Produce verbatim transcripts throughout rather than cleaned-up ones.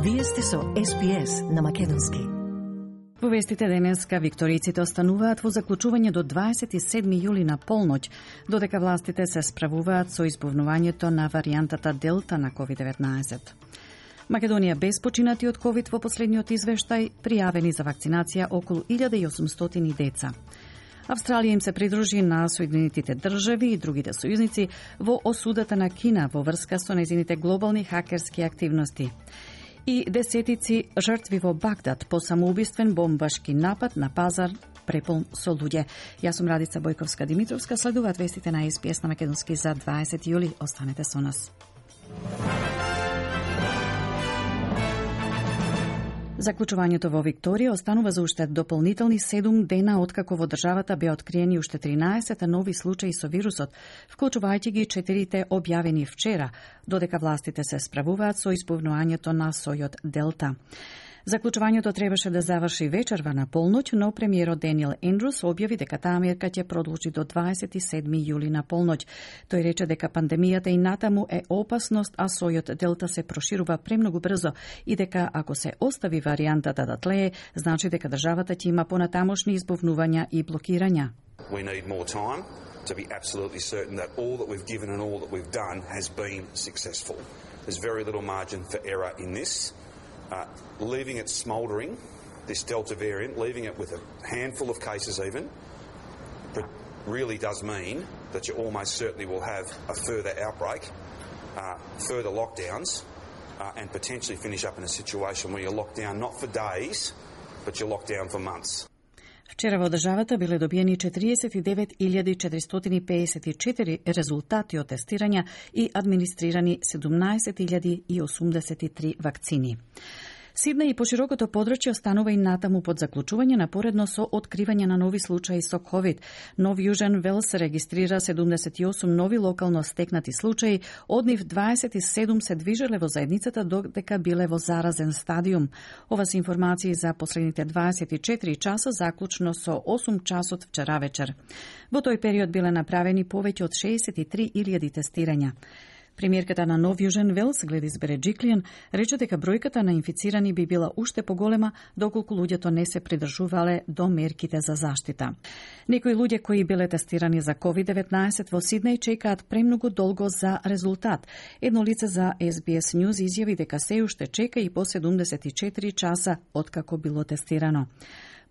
Вие сте со Ес Би Ес на македонски. Во вестите денеска викториците остануваат во заклучување до дваесет и седми јули на полноќ, додека властите се справуваат со избувнувањето на варијантата Делта на ковид деветнаесет. Македонија без починати од ковид во последниот извештај, пријавени за вакцинација околу илјада и осумстотини деца. Австралија им се придружи на Соединетите држави и другите сојузници во осудата на Кина во врска со нејзините глобални хакерски активности. И десетици жртви во Багдад по самоубиствен бомбашки напад на пазар преполн со луѓе. Јас сум Радица Бојковска-Димитровска, следуваат вестите на Ес Би Ес на македонски за дваесет јули. Останете со нас. Заклучувањето во Викторија останува за уште дополнителни седум дена откако во државата беа откриени уште тринаесет нови случаи со вирусот, вклучувајќи ги четирите објавени вчера, додека властите се справуваат со избувнувањето на сојот Делта. Заклучувањето требаше да заврши вечерва на полноќ, но премиерот Даниел Ендрус објави дека таа мерка ќе продолжи до дваесет и седми јули на полноќ. Тој рече дека пандемијата и натаму е опасност, а сојот Делта се проширува премногу брзо и дека ако се остави варијантата да тлее, значи дека државата ќе има понатамошни избувнувања и блокирања. We need more time to be absolutely certain that all that we've given and all that we've done has been successful. There's very little margin for error in this. Uh, leaving it smouldering, this Delta variant, leaving it with a handful of cases even, but really does mean that you almost certainly will have a further outbreak, uh, further lockdowns, uh, and potentially finish up in a situation where you're locked down not for days, but you're locked down for months. Вчера во државата биле добиени четириесет и девет илјади четиристотини пеесет и четири резултати од тестирања и администрирани седумнаесет илјади и осумдесет и три вакцини. Сиднеј и поширокото подрачје останува и натаму под заклучување напоредно со откривање на нови случаи со ковид. Нов Јужен Велс регистрира седумдесет и осум нови локално стекнати случаи, од нив дваесет и седум се движеле во заедницата додека биле во заразен стадиум. Ова се информации за последните дваесет и четири часа, заклучно со осум часот вчера вечер. Во тој период биле направени повеќе од шеесет и три илјади тестирања. Премиерката на Нов Јужен Велс, Гледис Береджиклијан, рече дека бројката на инфицирани би била уште поголема доколку луѓето не се придржувале до мерките за заштита. Некои луѓе кои биле тестирани за ковид деветнаесет во Сиднеј чекаат премногу долго за резултат. Едно лице за Ес Би Ес News изјави дека се уште чека и по седумдесет и четири часа откако било тестирано.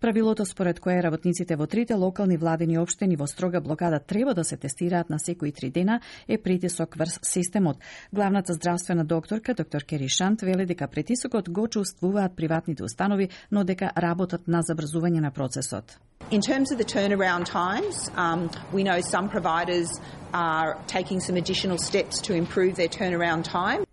Правилото според кое работниците во трите локални владени општини во строга блокада треба да се тестираат на секои три дена е притисок врз системот. Главната здравствена докторка, доктор Кери Шант, вели дека притисокот го чувствуваат приватните установи, но дека работат на забрзување на процесот. In terms of the turnaround times, um, we know some providers are taking some additional steps to improve their turnaround time.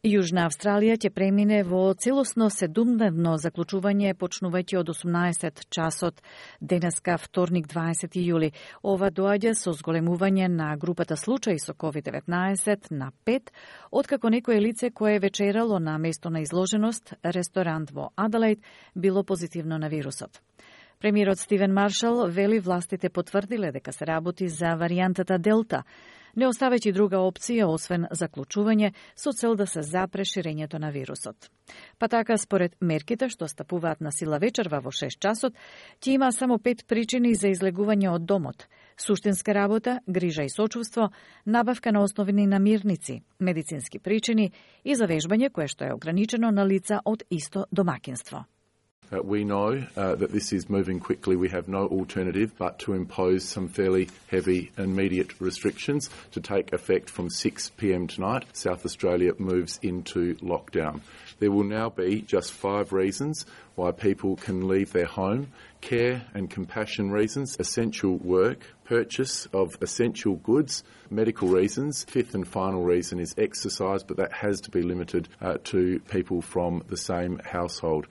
Јужна Австралија ќе премине во целосно седумдневно заклучување почнувајќи од осумнаесет часот денеска вторник дваесети јули. Ова доаѓа со зголемување на групата случаи со ковид деветнаесет на пет, откако некое лице кое вечерало на место на изложеност, ресторант во Аделаид, било позитивно на вирусот. Премиерот Стивен Маршал вели властите потврдиле дека се работи за варијантата Делта, не оставајќи друга опција освен заклучување со цел да се запре ширењето на вирусот. Па така, според мерките што стапуваат на сила вечерва во шест часот, ќе има само пет причини за излегување од домот: суштинска работа, грижа и сочувство, набавка на основни намирници, медицински причини и завежбање кое што е ограничено на лица од исто домакинство. Uh, we know uh, that this is moving quickly. We have no alternative but to impose some fairly heavy immediate restrictions to take effect from six p m tonight. South Australia moves into lockdown. There will now be just five reasons why people can leave their home: care and compassion reasons, essential work, purchase of essential goods, medical reasons. Fifth and final reason is exercise, but that has to be limited uh, to people from the same household.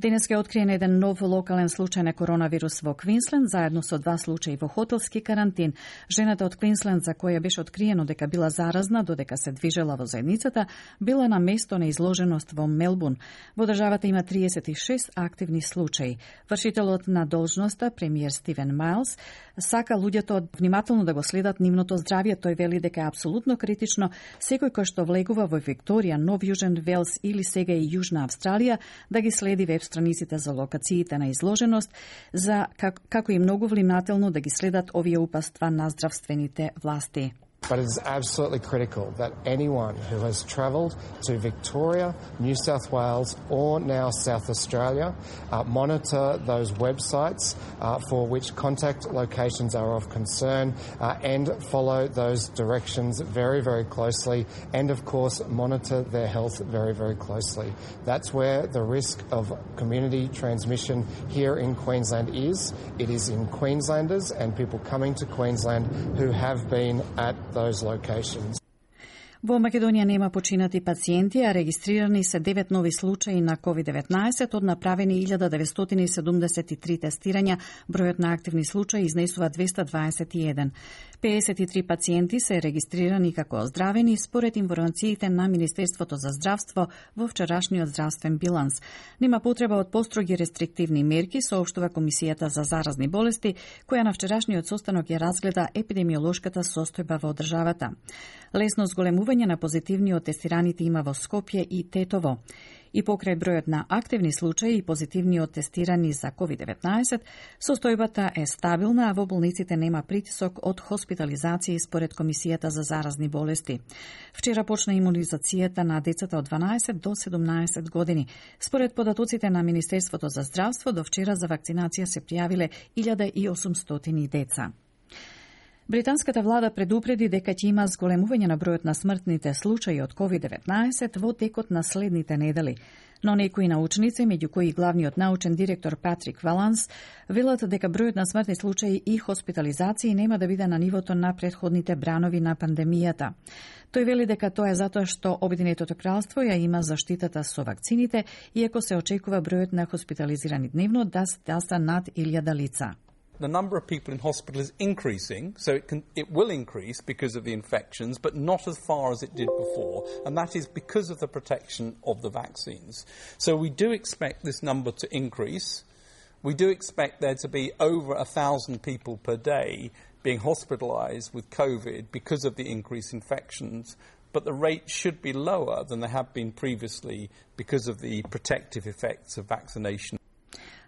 Денеска е откриен еден нов локален случај на коронавирус во Квинсленд, заедно со два случаи во хотелски карантин. Жената од Квинсленд, за која беше откриено дека била заразна додека се движела во заедницата, била на место на изложеност во Мелбурн. Во државата има триесет и шест активни случаи. Вршителот на должноста, премиер Стивен Мајлс, сака луѓето внимателно да го следат нивното здравје. Тој вели дека е апсолутно критично секој кој што влегува во Викторија, Нов Јужен Велс или сега и Јужна Австралија да ги следи веб страниците за локациите на изложеност, за как, како и многу внимателно да ги следат овие упатства на здравствените власти. But it is absolutely critical that anyone who has travelled to Victoria, New South Wales or now South Australia uh, monitor those websites uh, for which contact locations are of concern uh, and follow those directions very, very closely and of course monitor their health very, very closely. That's where the risk of community transmission here in Queensland is. It is in Queenslanders and people coming to Queensland who have been at those locations. Во Македонија нема починати пациенти, а регистрирани се девет нови случаи на ковид деветнаесет од направени илјада деветстотини седумдесет и три тестирања. Бројот на активни случаи изнесува двеста дваесет и еден. пеесет и три пациенти се регистрирани како оздравени според информациите на Министерството за здравство во вчерашниот здравствен биланс. Нема потреба од построги рестриктивни мерки, соопштува Комисијата за заразни болести, која на вчерашниот состанок ја разгледа епидемиолошката состојба во државата. Лесно зголемување на позитивни од тестираните има во Скопје и Тетово. И покрај бројот на активни случаи и позитивни од тестирани за ковид деветнаесет, состојбата е стабилна, а во болниците нема притисок од хоспитализации според Комисијата за заразни болести. Вчера почна имунизацијата на децата од дванаесет до седумнаесет години. Според податоците на Министерството за здравство, до вчера за вакцинација се пријавиле илјада и осумстотини деца. Британската влада предупреди дека ќе има зголемување на бројот на смртните случаи од ковид деветнаесет во текот на следните недели. Но некои научници, меѓу кои главниот научен директор Патрик Валанс, велат дека бројот на смртни случаи и хоспитализации нема да биде на нивото на претходните бранови на пандемијата. Тој вели дека тоа е затоа што Обединетото кралство ја има заштитата со вакцините, иако се очекува бројот на хоспитализирани дневно да стаса над илјада лица. The number of people in hospital is increasing, so it can, it will increase because of the infections, but not as far as it did before, and that is because of the protection of the vaccines. So we do expect this number to increase. We do expect there to be over a thousand people per day being hospitalised with COVID because of the increased infections, but the rate should be lower than they have been previously because of the protective effects of vaccination.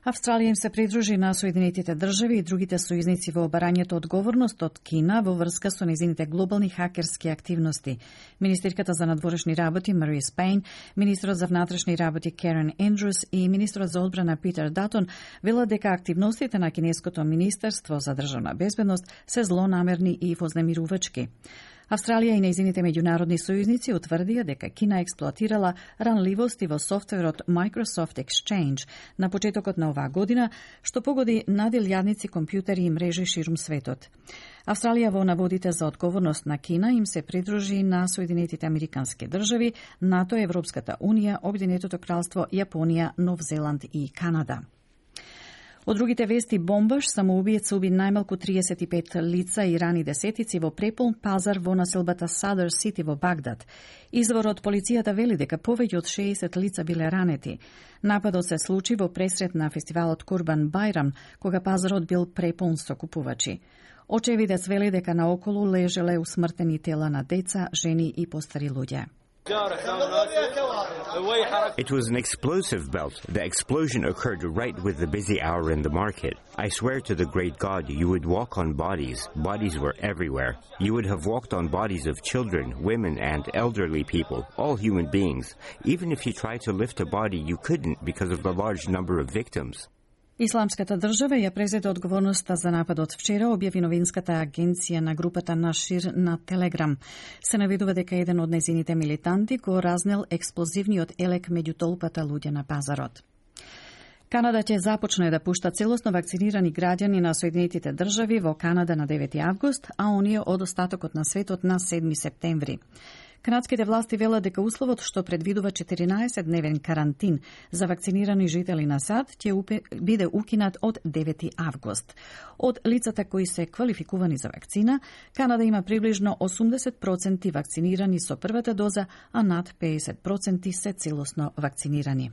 Австралија им се придружи на Соединетите држави и другите сојузници во барањето одговорност од Кина во врска со незините глобални хакерски активности. Министерката за надворешни работи Марија Спейн, министрот за внатрешни работи Керен Ендрус и министрот за одбрана Питер Датон велат дека активностите на кинеското министерство за државна безбедност се злонамерни и вознемирувачки. Австралија и нејзините меѓународни сојузници утврдија дека Кина експлоатирала ранливости во софтверот Microsoft Exchange на почетокот на оваа година, што погоди над илјадници компјутери и мрежи ширум светот. Австралија во наводите за одговорност на Кина им се придружи на Соединетите Американски држави, НАТО, Европската Унија, Обединетото кралство, Јапонија, Нов Зеланд и Канада. Од другите вести, бомбаш, самоубиец уби најмалку триесет и пет лица и рани десетици во преполн пазар во населбата Садър Сити во Багдад. Извор од полицијата вели дека повеќе од шеесет лица биле ранети. Нападот се случи во пресрет на фестивалот Курбан Байрам, кога пазарот бил преполн со купувачи. Очевидец вели дека наоколу лежеле усмртени тела на деца, жени и постари луѓе. It was an explosive belt. The explosion occurred right with the busy hour in the market. I swear to the great God, you would walk on bodies. Bodies were everywhere. You would have walked on bodies of children, women, and elderly people, all human beings. Even if you tried to lift a body, you couldn't because of the large number of victims. Исламската држава ја презеде одговорноста за нападот вчера, објави новинската агенција на групата Нашир на Телеграм. Се наведува дека еден од незините милитанти го разнел експлозивниот елек меѓу толпата луѓе на пазарот. Канада ќе започне да пушта целосно вакцинирани граѓани на Соединетите држави во Канада на девети август, а оние од остатокот на светот на седми септември. Канадските власти велат дека условот што предвидува четиринаесет-дневен карантин за вакцинирани жители на САД ќе биде укинат од девети август. Од лицата кои се квалификувани за вакцина, Канада има приближно осумдесет проценти вакцинирани со првата доза, а над педесет проценти се целосно вакцинирани.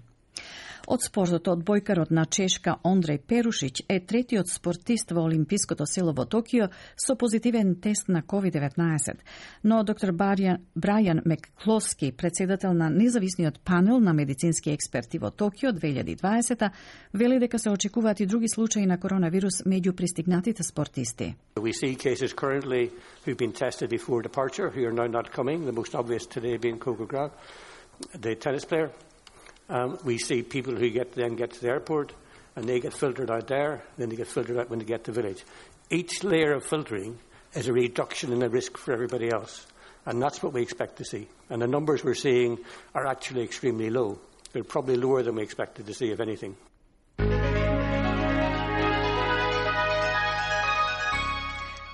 Од спортот, одбојкарот на Чешка Ондреј Перушиќ е третиот спортист во Олимпиското село во Токио со позитивен тест на ковид деветнаесет. Но доктор Брајан Мекклоски, председател на независниот панел на медицински експерти во Токио две илјади и дваесета, вели дека се очекуваат и други случаи на коронавирус меѓу пристигнатите спортисти. We see cases currently who've been tested before departure who are now not coming, the most obvious today being Coco Graf, the tennis player. Um, we see people who get then get to the airport and they get filtered out there, then they get filtered out when they get to the village. Each layer of filtering is a reduction in the risk for everybody else, and that's what we expect to see. And the numbers we're seeing are actually extremely low. They're probably lower than we expected to see, if anything.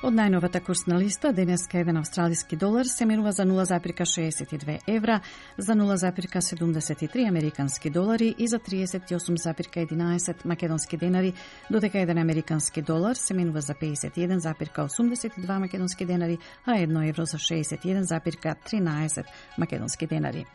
Од најновата курсна листа, денеска еден австралиски долар се менува за нула запирка шеесет и две евра, за нула запирка седумдесет и три американски долари и за триесет и осум запирка единаесет македонски денари, додека еден американски долар се менува за педесет и еден запирка осумдесет и два македонски денари, а едно евро за шеесет и еден запирка тринаесет македонски денари.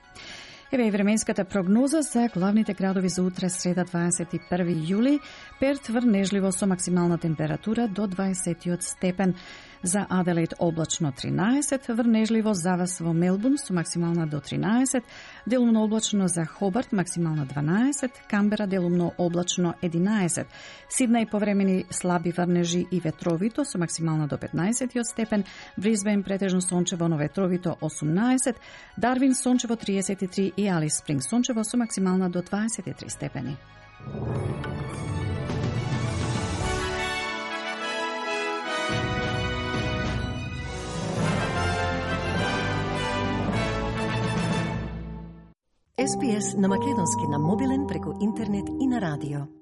Еве и временската прогноза за главните градови за утре, среда дваесет и први јули. Перт врнежливо со максимална температура до дваесет степен. За Аделаид облачно тринаесет, врнежливо завас во Мелбурн со максимална до тринаесет, делумно облачно за Хобарт максимална дванаесет, Камбера делумно облачно единаесет, Сиднеј повремени слаби врнежи и ветровито со максимална до петнаесет степен, Брисбен претежно сончево но ветровито осумнаесет, Дарвин сончево триесет и три и Алис Спринг сончево со максимална до дваесет и три степени. Ес Би Ес на македонски на мобилен преку интернет и на радио.